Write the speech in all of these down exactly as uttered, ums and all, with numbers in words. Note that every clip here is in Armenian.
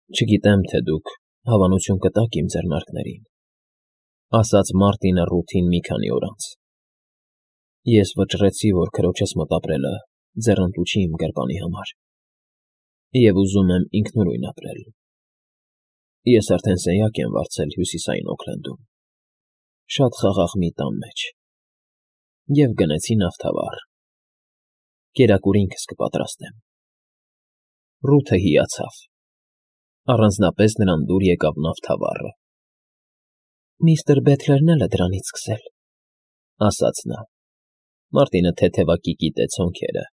Չգիտեմ, թե դուք հավանություն կտաք իմ ձեռնարկներին, ասաց Մարտինը Ռութին մի քանի օր անց. ես վճռեցի, որ քրոջս մոտ ապրելը ձեռնտու չի իմ գրպանի համար, և ուզում եմ ինքնուրույն ապրել. ես արդեն սենյակ եմ վարձել Հյուսիսային Օքլենդում, շատ խաղաղ մի տան մեջ, և գնեցի նավթավառ. կերակուր ինքս կպատրաստեմ։ Ռութը հիացավ, առանձնապես նրան դուր եկավ նավթավառը։ Միստր Բեթլերն էլ է դրանից սկսել, ասաց նա։ Մարտինը թեթևակի կիտեց հոնքերը,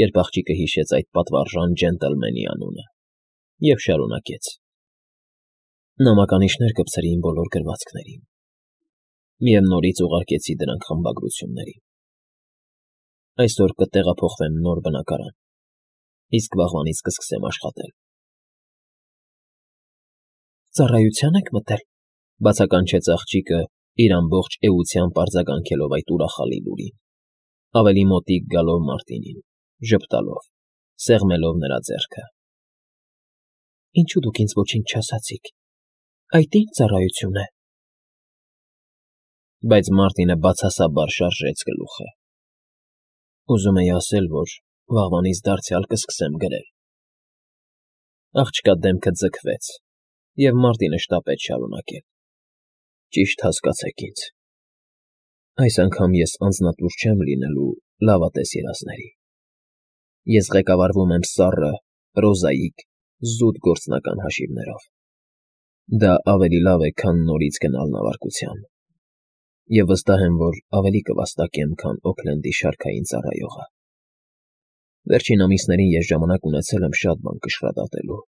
երբ աղջիկը հիշեց այդ պատվարժան ջենտլմենի անունը, և շարունակեց. նամականիշեր կպցրի իմ բոլոր գրվածքներին, և նորից ուղարկեցի դրանք խմբագրություններին։ Այսօր կտեղափոխվեմ նոր բնակարան, իսկ վաղվանից կսկսեմ աշխատել։ Ծառայությա՞ն եք մտել,֊ բացականչեց աղջիկը, իր ամբողջ էությամբ արձագանքելով այդ ուրախալի լուրին, ավելի մոտիկ գալով Մարտինին, ժպտալով, սեղմելով նրա ձեռքը։ Ինչու դուք ինձ ոչինչ չասացիք, այդ ի՞նչ ծառայություն է։ Բայց Մարտինը բացասաբար շարժեց գլուխը։ Ուզում էի ասել, որ վաղվանից դարձյալ կսկսեմ գրել։ Աղջկա դեմքը ձգվեց, և Մարտինը շտապեց շարունակել. Ճիշտ հասկացեք ինձ, այս անգամ ես անձնատուր չեմ լինելու լավատես երազների։ Ես ղեկավարվում եմ սառը, պրոզաիկ, զուտ գործնական հաշիվներով։ Դա ավելի լավ է, քան նորից գնալ նավարկության, և վստահ եմ, որ ավելի կվաստակեմ, քան Օքլենդի շարքային ծառայողը։ Վերջին ամիսներին ես ժամանակ ունեցել եմ շատ բան կշռադատելու։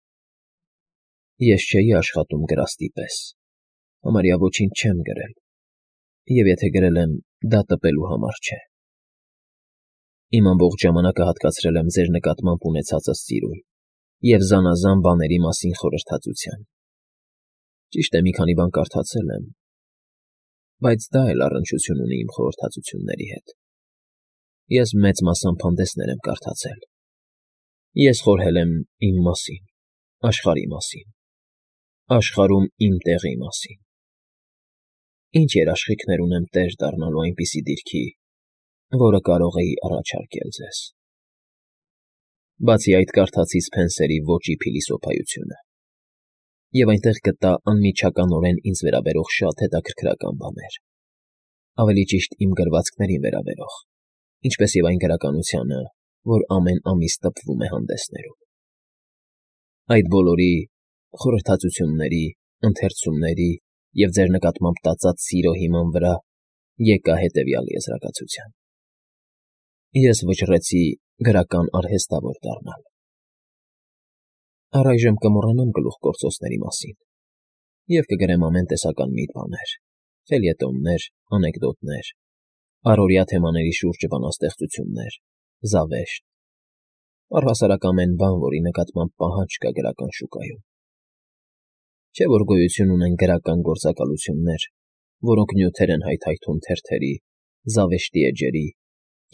Ես չէի աշխատում գրաստի պես, համարյա ոչինչ չեմ գրել, և եթե գրել եմ, դա տպելու համար չէ։ Իմ ամբողջ ժամանակը հատկացրել եմ ձեր նկատմամբ ունեցածս սիրուն և զանազան բաների մասին խորհրդածության։ Ճիշտ է, մի քանի բան կարդացել եմ, բայց դա էլ առնչություն ունի իմ խորհրդածությունների հետ։ Ես մեծ մասամբ հանդեսներ եմ կարդացել։ Ես խորհել եմ իմ մասին, աշխարհի մասին, աշխարհում իմ տեղի մասին։ Ինչ երաշխիքներ ունեմ տեր դառնալու այնպիսի դիրքի, որը կարող էի առաջարկել ձեզ։ Բացի այդ, կարդացի Սփենսերի Ոճի փիլիսոփայությունը, և այնտեղ գտա անմիջականորեն ինձ վերաբերող շատ հետաքրքրական բաներ, ավելի ճիշտ իմ գրվածքներին վերաբերող, ինչպես և այն գրականությանը, որ ամեն ամիս տպվում է հանդեսներում։ Այդ բոլորի, խորհրդածությունների, ընթերցումների և ձեր նկատմամբ տածած սիրո հիման վրա եկա հետևյալ եզրակացության. ես վճռեցի գրական արհեստավոր դառնալ։ Առայժմ կմոռանամ գլուխգործոցների մասին և կգրեմ ամեն տեսական մի բաներ, ֆելյետոններ, անեկդոտներ, առօրյա թեմաների շուրջ բանաստեղծություններ, զավեշտ, առհասարակ ամեն բան, որի նկատմամբ պահանջ կա գրական շուկայում։ Չէ՞ որ գոյություն ունեն գրական գործակալություններ, որոնք նյութեր են հայթայթում թերթերի, զավեշտի էջերի,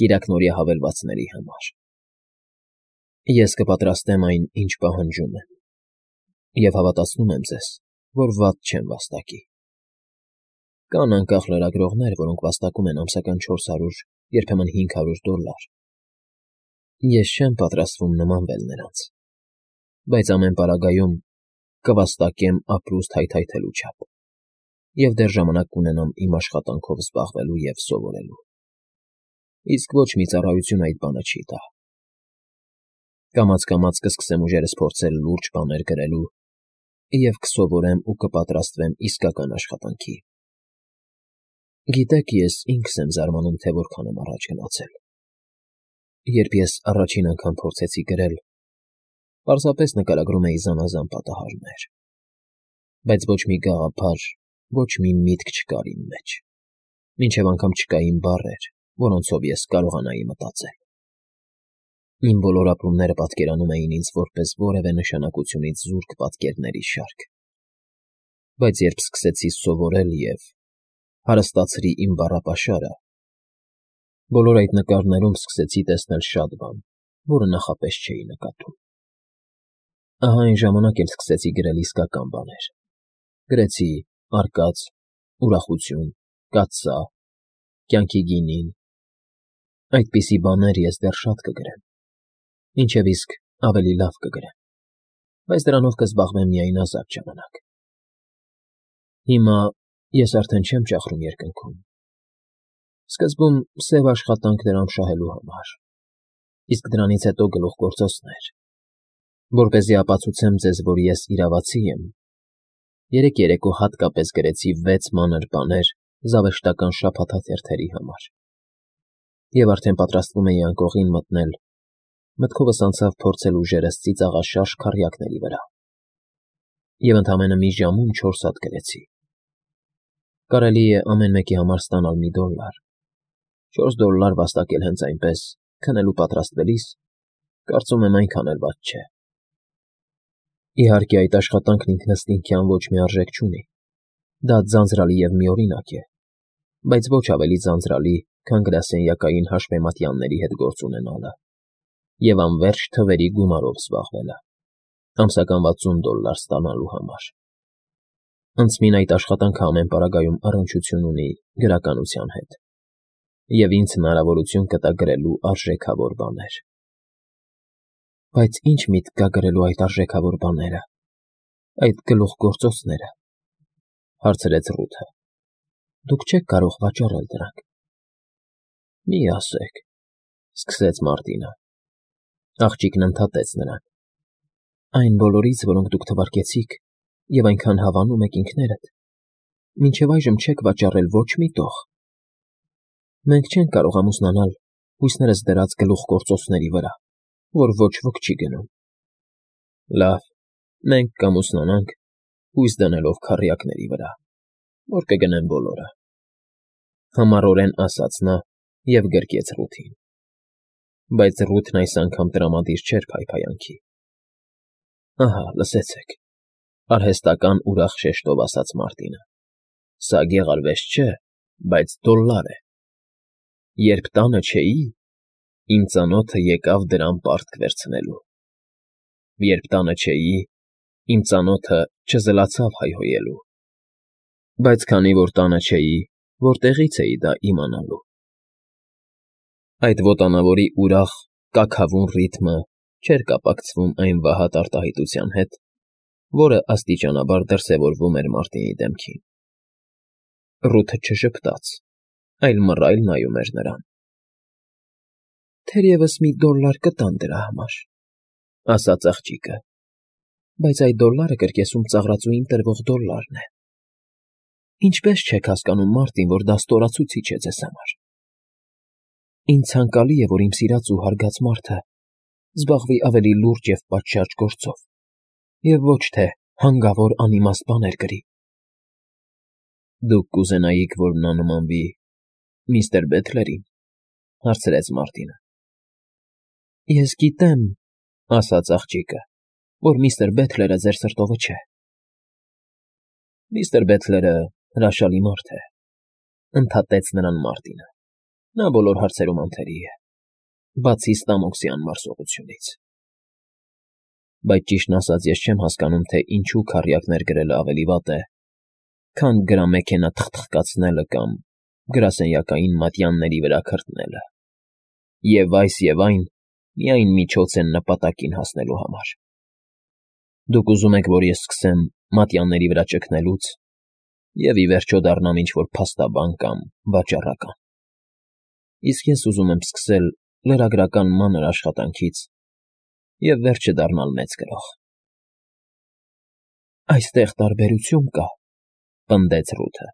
կիրակնօրյա հավելվածների համար։ Ես կպատրաստեմ այն, ինչ պահանջում են, և հավատացնում եմ ձեզ, որ վատ չեմ վաստակի։ Կան անկախ լրագրողներ, որոնք վաստակում են ամսական չորս հարյուր, երբեմն հինգ հարյուր դոլար։ Ես չեմ պատրաստվում նմանվել նրանց, բայց ամեն պարագայում կվաստակեմ ապրուստ հայթայթելու չափ, և դեռ ժամանակ կունենամ իմ աշխատանքով զբաղվելու և սովորելու։ Իսկ ոչ մի ծառայություն այդ բանը չի տա։ Կամաց֊կամաց կսկսեմ ուժերս փորձել լուրջ բաներ գրելու և կսովորեմ ու կպատրաստվեմ իսկական աշխատանքի։ Գիտեք, ես ինքս եմ զարմանում, թե որքան եմ առաջ գնացել։ Երբ ես առաջին անգամ փորձեցի գրել, պարզապես նկարագրում էի զանազան պատահարներ, բայց ոչ մի գաղափար, ոչ մի միտք չկար իմ մեջ, մինչև անգամ չկային բառեր, որոնցով ես կարողանայի մտածել։ Իմ բոլոր ապրումները պատկերանում էին ինձ որպես որևէ նշանակությունից զուրկ պատկերների շարք։ Բայց երբ սկսեցի սովորել և հարստացրի իմ բառապաշարը, բոլոր այդ նկարներում սկսեցի տեսնել շատ բան, որը նախապես չէի նկատում։ Ահա այն ժամանակ էլ սկսեցի գրել իսկական բաներ. գրեցի արկած, ուրախություն, կաթսա, կյանքի գինին. այդպիսի բաներ ես դեռ շատ կգրեմ, ինչև իսկ ավելի լավ կգրեմ, բայց դրանով կզբաղվեմ միայն ազատ ժամանակ։ Հիմա ես արդեն չեմ ճախրում երկնքում. սկզբում սև աշխատանք դրամ շահելու համար, իսկ դրանից հետո գլուխգործոցներ, որպեսզի ապացուցեմ ձեզ, որ ես իրավացի եմ։ Երեք երեկո հատկապես գրեցի վեց մանր բաներ զավեշտական շաբաթաթերթերի համար, և արդեն պատրաստվում էի անկողին մտնել, մտքովս անցավ փորձել ուժերս ծիծաղաշարժ քառյակների վրա, և ընդամենը մի ժամում չորս հատ գրեցի։ Կարելի է ամեն մեկի համար ստանալ մի դոլլար, չորս դոլլար վաստակել հենց այնպես, քնելու պատրաստվելիս, կարծում եմ այնքան էլ վատ չէ։ Իհարկե, այդ աշխատանքն ինքնըստինքյան ոչ մի արժեք չունի, դա ձանձրալի և միօրինակ է, բայց ոչ ավելի ձանձրալի, քան գրասենյակային հաշվեմատյանների հետ գործ ունենալը և անվերջ թվերի գումարով զբաղվելը, ամսական վաթսուն դոլլար ստանալու համար։ Անցմին այդ աշխատանքը ամեն պարագայում առնչություն ունի գրականության հետ, և ինձ հնարավորություն կտա գրելու արժեքավոր բաներ։ Բայց ի՞նչ միտք կա գրելու այդ արժեքավոր բաները, այդ գլուխգործոցները, հարցրեց Ռութը։ Դուք չեք կարող վաճառել դրանք։ Մի ասեք, սկսեց Մարտինը։ Աղջիկն ընդհատեց նրան. Այն բոլորից, որոնք դուք թվարկեցիք, և այնքան հավանում եք ինքներդ, մինչև այժմ չեք վաճառել ոչ մի տող։ Մենք չենք կարող ամուսնանալ հույսներս դրած գլուխգործոցների վրա, որ ոչ ոք չի գնում։ Լավ, մենք կամուսնանանք, հույս դնելով քառյակների վրա, որ կգնեն բոլորը, համառորեն ասաց նա և գրկեց Ռութին։ Բայց Ռութն այս անգամ տրամադիր չէր փայփայանքի։ Ահա, լսեցեք, արհեստական ուրախ շեշտով ասաց Մարտինը, սա գեղարվեշտ չէ, բայց դոլլար է։ Երբ տանը չէի, իմ ծանոթը եկավ դրան պարտք վերցնելու։ Երբ տանը չէի, իմ ծանոթը չզլացավ հայհոյելու։ Բայց քանի որ տանը չէի, որտեղի՞ց էի դա իմանալու։ Այդ ոտանավորի ուրախ, կաքավուն ռիթմը չէր կապակցվում այն վհատ արտահայտության հետ, որը աստիճանաբար դրսևորվում էր Մարտինի դեմքին։ Ռութը չժպտաց, այլ մռայլ նայում էր նրան։ Թերևս մի դոլլար կտան դրա համար, ասաց աղջիկը, բայց այդ դոլլարը կրկեսում ծաղրածուին տրվող դոլլարն է։ Ինչպե՞ս չեք հասկանում, Մարտին, որ դա ստորացուցիչ է ձեզ համար։ Ինձ ցանկալի է, որ իմ սիրած ու հարգած մարդը զբաղվի ավելի լուրջ և պատշաճ գործով, և ոչ թե հանգավոր անիմաստ բաներ գրի։ Դուք կուզենայիք, որ նա նմանվի միստր Բեթլերին, հարցրեց Մարտինը։ Ես գիտեմ, ասաց աղջիկը, որ միստր Բեթլերը ձեր սրտովը չէ։ Միստր Բեթլերը հրաշալի մարդ է, ընդհատեց նրան Մարտինը։ Նա բոլոր հարցերում անթերի է, բացի ստամոքսի անմարսողությունից։ Բայց ճիշտն ասած, ես չեմ հասկանում, թե ինչու քառյակներ գրելը ավելի վատ է, քան գրամեքենա թխթխկացնելը կամ գրասենյակային մատյանների վրա քրտնելը։ Եվ այս և այն միայն միջոց են նպատակին հասնելու համար։ Դուք ուզում եք, որ ես սկսեմ մատյանների վրա ճգնելուց և ի վերջո դառնամ ինչ-որ փաստաբան կամ վաճառական։ Իսկ ես ուզում եմ սկսել լրագրական մանր աշխատանքից և վերջը դառնալ մեծ գրող։ Այստեղ տարբերություն կա, պնդեց Ռութը։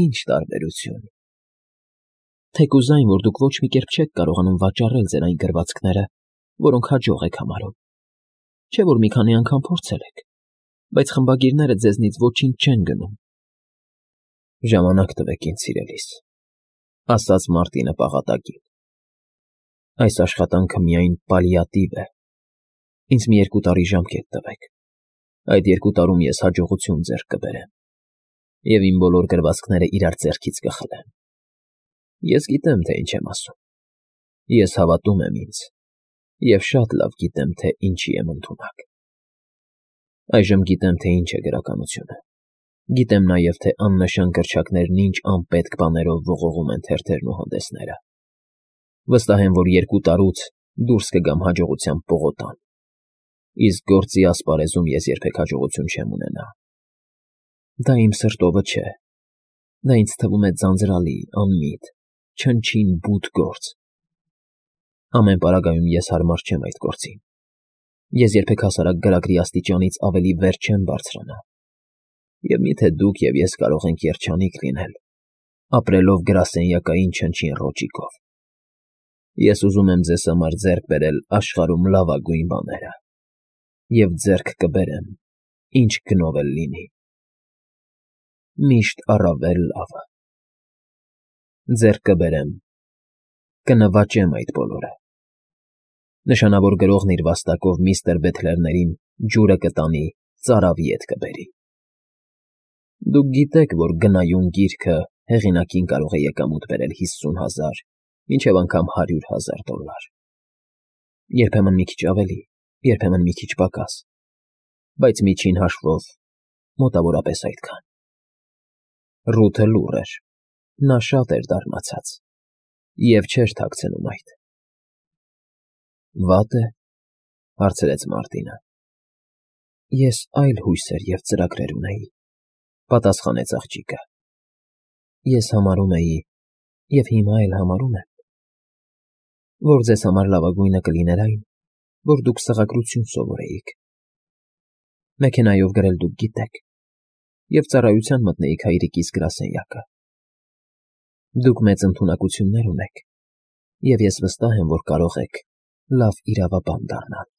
Ինչ տարբերություն։ Թեկուզ այն, որ դուք ոչ մի կերպ չեք կարողանում վաճառել ձեր այն գրվածքները, որոնք հաջող եք համարում։ Չէ՞ որ մի քանի անգամ փորձել եք, բայց խմբագիրները ձեզնից ոչինչ չեն գնում։ Ժամանակ տվեք ինձ, սիրելիս, ասաց Մարտինը պաղատակին։ Այս աշխատանքը միայն պալիատիվ է։ Ինձ մի երկու տարի ժամկետ տվեք։ Այդ երկու տարում ես հաջողություն ձեռք կբերեմ, և իմ բոլոր գրվածքները իրար ձեռքից կխլեմ։ Ես գիտեմ, թե ինչ եմ ասում։ Ես հավատում եմ ինձ, Եվ շատ լավ գիտեմ, թե ինչի եմ ընդունակ։ Այժմ գիտեմ, թե ինչ է գրականությունը։ Գիտեմ նաև, թե աննշան գրչակներն ինչ անպետք բաներով ողողում են թերթերն ու հանդեսները։ Վստահ եմ, որ երկու տարուց դուրս կգամ հաջողության պողոտան, իսկ գործի ասպարեզում ես երբեք հաջողություն չեմ ունենա։ Դա իմ սրտովը չէ, դա ինձ թվում է ձանձրալի, անմիտ, չնչին բութ գործ։ Ամեն պարագայում ես հարմար չեմ այդ գործին։ Ես երբեք հասարակ գրագրի աստիճանից ավելի վեր չեմ բարձրանա։ Եվ միթե դուք և ես կարող ենք երջանիկ լինել, ապրելով գրասենյակային չնչին ռոճիկով։ Ես ուզում եմ ձեզ համար ձեռք բերել աշխարհում լավագույն բաները, և ձեռք կբերեմ, ինչ գնով էլ լինի։ Միշտ առավել լավը։ Ձեռք կբերեմ, կնվաճեմ այդ բոլորը։ Նշանավոր գրողն իր վաստակով միստր Բեթլերներին ջուրը կտանի, ծարավի ետ կբերի։ Դուք գիտեք, որ գնայուն գիրքը հեղինակին կարող է եկամուտ բերել հիսուն հազար, մինչև անգամ հարյուր հազար դոլար։ Երբեմն մի քիչ ավելի, երբեմն մի քիչ պակաս, բայց միջին հաշվով մոտավորապես այդքան։ Ռութը լուռ էր, նա շատ էր դառնացած և չէր թաքցնում այդ։ Վա՞տ է,֊ հարցրեց Մարտինը։ Ես այլ հույսեր և ծրագրեր ունեի,֊ պատասխանեց աղջիկը։ Ես համարում էի, և հիմա էլ համարում եմ, որ ձեզ համար լավագույնը կլիներ այն, որ դուք սղագրություն սովորեիք, մեքենայով գրել դուք գիտեք, և ծառայության մտնեիք հայրիկիս գրասենյակը։ Դուք մեծ ընդունակություններ ունեք, և ես վստահ եմ, որ կարող եք լավ իրավաբան դառնալ։